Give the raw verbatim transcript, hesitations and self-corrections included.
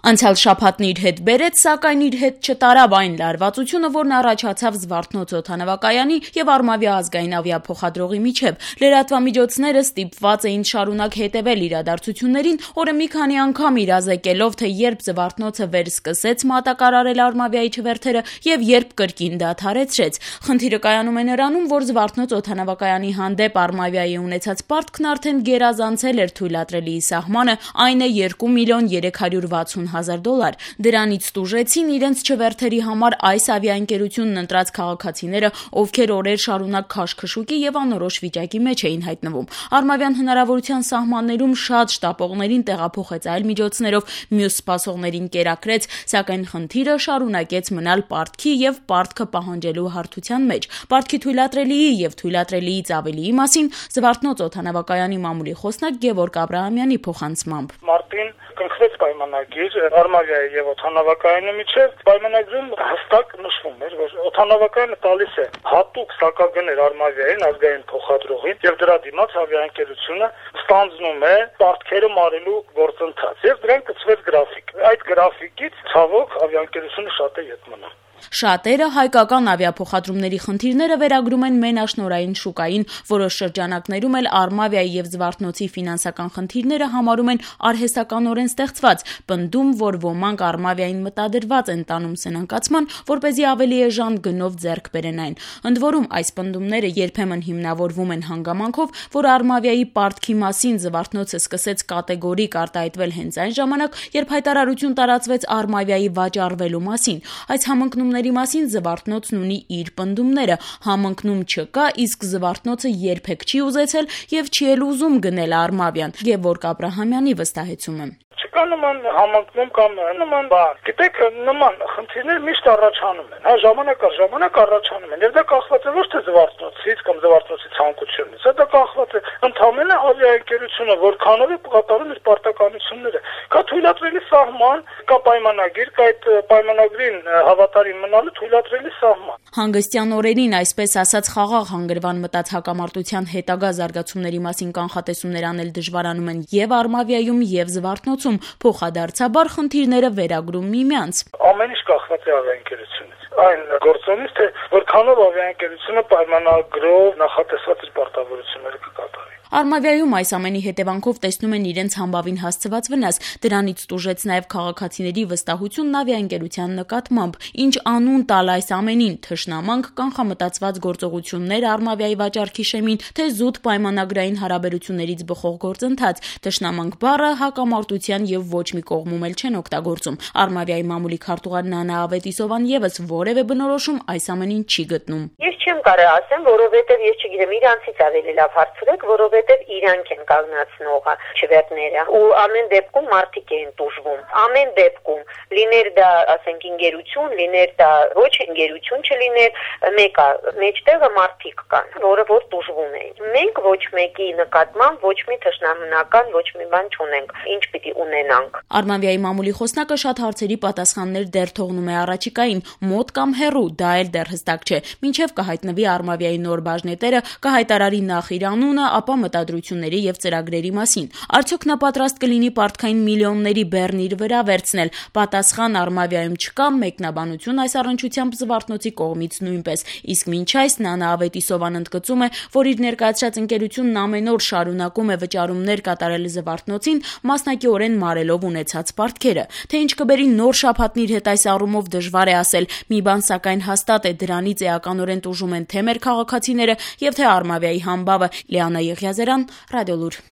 Անցյալ շաբաթն իր հետ բերեց, սակայն իր հետ չտարավ այն լարվածությունը, որն առաջացավ Զվարթնոց օդանավակայանի եւ Արմավիա ազգային ավիափոխադրողի միջեւ։ Լրատվամիջոցները ստիպված էին շարունակ հետեւել իրադարձություններին, օրը մի քանի անգամ իրազեկելով, թե երբ Զվարթնոցը վերսկսեց մատակարարել Արմավիայի չվերթերը եւ երբ կրկին դադարեցրեց։ Խնդիրը կայանում է նրանում, որ Զվարթնոց օդանավակայանի հանդեպ Արմավիայի ունեցած պարտքն արդեն գերազանցել էր թույլատրելիի սահմանը, այն է երկու միլիոն երեք հարյուր վաթսուն հազար դոլար։ Դրանից տուժեցին իրենց չվերթերի համար այս ավիաընկերությունն ընտրած քաղաքացիները, ովքեր օրեր շարունակ քաշքշուկի եւ անորոշ վիճակի մեջ էին հայտնվում։ Արմավիան հնարավորության սահմաններում շատ շտապողներին տեղափոխեց այլ միջոցներով, մյուս սպասողներին կերակրեց, սակայն խնդիրը շարունակեց մնալ պարտքի եւ պարտքը պահանջելու հարթության մեջ։ Պարտքի թույլատրելիի եւ թույլատրելիից ավելիի մասին Զվարթնոց օդանավակայանի մամուլի խոսնակ Գևորգ Աբրահամյանի փոխանցմամբ. Մարտին կնքվեց պայմանագիր Արմավիայի եւ օդանավակայանի միջեւ, պայմանագրում հստակ նշվում էր, որ օդանավակայանը տալիս է հատուկ սակագներ Արմավիային ազգային փոխադրողին եւ դրա դիմաց ավիաընկերությունը ստանձնում է պարտքերը մարելու գործընթաց եւ դրան կցվեց գրաֆիկ։ Այդ գրաֆիկից ցավոք ավիաընկերությունը շատ է ետ մնում։ Շատերը հայկական ավիափոխադրումների խնդիրները վերագրում են մենաշնորհային շուկային, որոշ շրջանակներում էլ Արմավիայի եւ Զվարթնոցի ֆինանսական խնդիրները համարում են արհեստականորեն ստեղծված, պնդում, որ ոմանք Արմավիային մտադրված են տանում սնանկացման, որպեսզի ավելի էժան գնով ձեռք բերեն այն։ Ընդ որում, այս պնդումները երբեմն հիմնավորվում են հանգամանքով, որ Արմավիայի պարտքի մասին Զվարթնոցը սկսեց կատեգորիկ արտահայտվել հենց այն ժամանակ, երբ հայտարարություն տարածվեց Արմավիայի վաճառվելու մասին։ Այս համընկնում մասին Զվարթնոցն ունի իր պնդումները, համընկնում չկա, իսկ Զվարթնոցը երբեք չի ուզեցել եւ չի էլ ուզում գնել Արմավիան։ Գևորգ Աբրահամյանի վստահեցումը. Չկա նման համընկնում կամ նման բան։ Գիտեք, նման խնդիրներ միշտ առաջանում են, հա, ժամանակ առ ժամանակ առաջանում են։ Եվ դա կախված է ոչ թե Զվարթնոցից կամ Զվարթնոցի ցանկությունից, դա կախված է ընդհանրապես ավիաընկերությունը, որքանով է կատարում իր պարտականությունները։ Կա թույլատրելի սահման, կա պայմանագիր, կա այդ պայմանագրին հավատարիմ մնալու թույլատրելի սահման։ Հանգստյան օրերին, այսպես ասած, խաղաղ հանգրվան մտած հակամարտության հետագա զարգացումների մասին կանխատեսումներ անել դժվարանում են եւ Արմավիայում եւ Զվարթնոցում, փոխադարձաբար խնդիրները վերագրում միմյանց։ Ամեն ինչ կախված է ավիաընկերությունից։ Այն գործոնից, թե որքանով ավիաընկերությունը պայմանագրով նախատեսված իր պարտավորությունները կկատարի։ Արմավիայում այս ամենի հետևանքով տեսնում են իրենց համբավին հասցված վնաս, դրանից տուժեց նաև քաղաքացիների վստահությունն ավիաընկերության նկատմամբ։ Ինչ անուն տալ այս ամենին, թշնամանք, կանխամտածված գործողություններ Արմավիայի վաճառքի շեմին, թե զուտ պայմանագրային հարաբերություններից բխող գործընթաց։ Թշնամանք բառը հակամարտության եւ ոչ մի կողմում էլ չեն օգտագործում։ Արմավիայի մամուլի քարտուղար Նանա Ավետիսովան եւս որևէ բնորոշում այս ամենին չի գտնում։ Ես չեմ կարող ասեմ, որովհետեւ ես չգիտեմ, իրանցից ավելի լավ հարցրեք, որովհետեւ իրանք են կանգնացնողը չվերթները ու ամեն դեպքում մարդիկ են տուժվում։ Ամեն դեպքում լիներ դա, ասենք, ընկերություն, լիներ դա ոչ ընկերություն, չլիներ մեկը, մեջտեղը մարդիկ կան, որը որ տուժվում են։ Մենք ոչ մեկի նկատմամբ ոչ մի թշնամանական ոչ մի բան չունենք, ինչ պիտի ունենանք։ Արմավիայի մամուլի խոսնակը շատ հարցերի պատասխաններ դեռ թողնում է առաջիկային, մոտ կամ հեռու, դա էլ դեռ հստակ չէ։ Մինչև կհայտնվի Արմավիայի նոր բաժնետերը, կհայտարարի նախ իր անունը, ապա մտադրությունների եւ ծրագրերի մասին։ Արդյոք նա պատրաստ կլինի պարտքային միլիոնների բեռն իր վրա վերցնել։ Պատասխան Արմավիայում չկա, մեկնաբանություն այս առնչությամբ Զվարթնոցի կողմից նույնպես։ Իսկ մինչ այս Նանա Ավետիսովան ընդգծում է, որ իր ներկայացրած ընկերությունն ամեն օր շարունակում է վճարումներ կատարել Զվարթնոցին, մասնակիորեն մարելով ունեցած պարտքերը։ Թե ինչ կբերի նոր շաբաթն իր հետ այս առումով դժվար է ասել։ Մի բան սակայն հաստատ է, դրանից էականորեն տուժում են թե մեր քաղաքացիները եւ թե Արմավիայի համբավը։ Լիանա Եղիազարյան, Ռադիոլուր։